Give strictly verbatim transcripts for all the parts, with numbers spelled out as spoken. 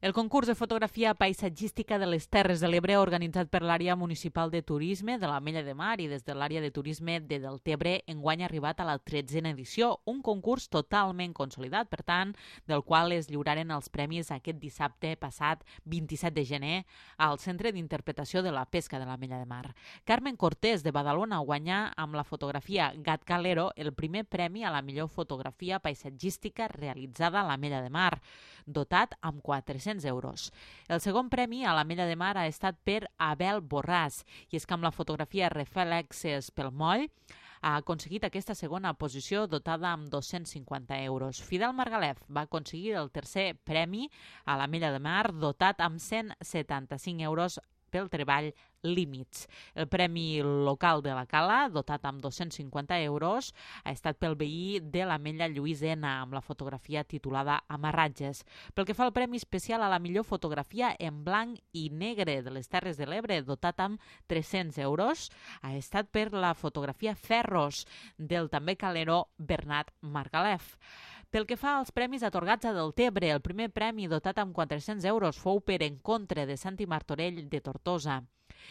El concurs de fotografia paisatgística de les Terres de l'Ebre, organitzat per l'àrea municipal de turisme de l'Ametlla de Mar i des de l'àrea de turisme de Deltebre, enguany ha arribat a la tretzena edició, un concurs totalment consolidat, per tant, del qual es lliuraren els premis aquest dissabte passat vint-i-set de gener al Centre d'Interpretació de la Pesca de l'Ametlla de Mar. Carmen Cortés, de Badalona, guanyà amb la fotografia Gat Calero el primer premi a la millor fotografia paisatgística realitzada a l'Ametlla de Mar, dotat amb quatre-cents euros. El segon premi a l'Ametlla de Mar ha estat per Abel Borràs, i és que amb la fotografia Reflexes pel moll ha aconseguit aquesta segona posició dotada amb dos-cents cinquanta euros. Fidel Margalef va aconseguir el tercer premi a l'Ametlla de Mar dotat amb cent setanta-cinc euros pel treball Límits. El premi local de la Cala, dotat amb dos-cents cinquanta euros, ha estat pel veí de l'Ametlla Lluís Ena amb la fotografia titulada Amarratges. Pel que fa al premi especial a la millor fotografia en blanc i negre de les Terres de l'Ebre, dotat amb tres-cents euros, ha estat per la fotografia Ferros del també caleró Bernat Margalef. Pel que fa als premis atorgats a Deltebre, el primer premi dotat amb quatre-cents euros fou per Encontre de Santi Martorell de Tortosa.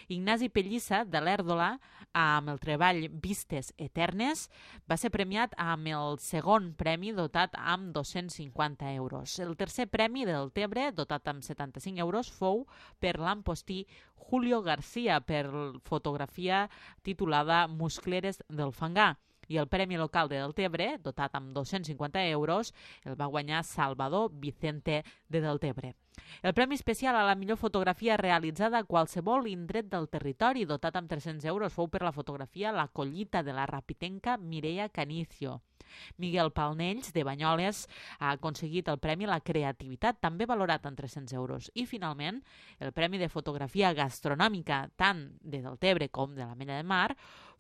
Ignasi Pellissa, de l'Èrdola, amb el treball Vistes Eternes, va ser premiat amb el segon premi dotat amb dos-cents cinquanta euros. El tercer premi del Deltebre, dotat amb setanta-cinc euros, fou per l'ampostí Julio García per fotografia titulada Muscleres del Fangar. I el premi local de Deltebre, dotat amb dos-cents cinquanta euros, el va guanyar Salvador Vicente de Deltebre. El premi especial a la millor fotografia realitzada a qualsevol indret del territori, dotat amb tres-cents euros, fou per la fotografia La collita de la rapitenca Mireia Canicio. Miguel Palnells, de Banyoles, ha aconseguit el premi La creativitat, també valorat en tres-cents euros. I, finalment, el premi de fotografia gastronòmica, tant de Deltebre com de l'Ametlla de Mar,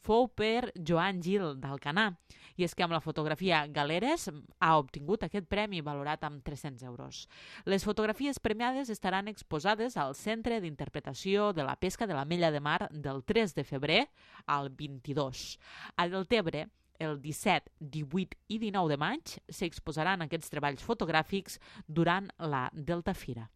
fou per Joan Gil d'Alcanar. I és que amb la fotografia Galeres ha obtingut aquest premi valorat amb tres-cents euros. Les fotografies premiades estaran exposades al Centre d'Interpretació de la Pesca de l'Ametlla de Mar del tres de febrer al vint-i-dos. A Deltebre, el disset, divuit i dinou de maig s'exposaran aquests treballs fotogràfics durant la Delta Fira.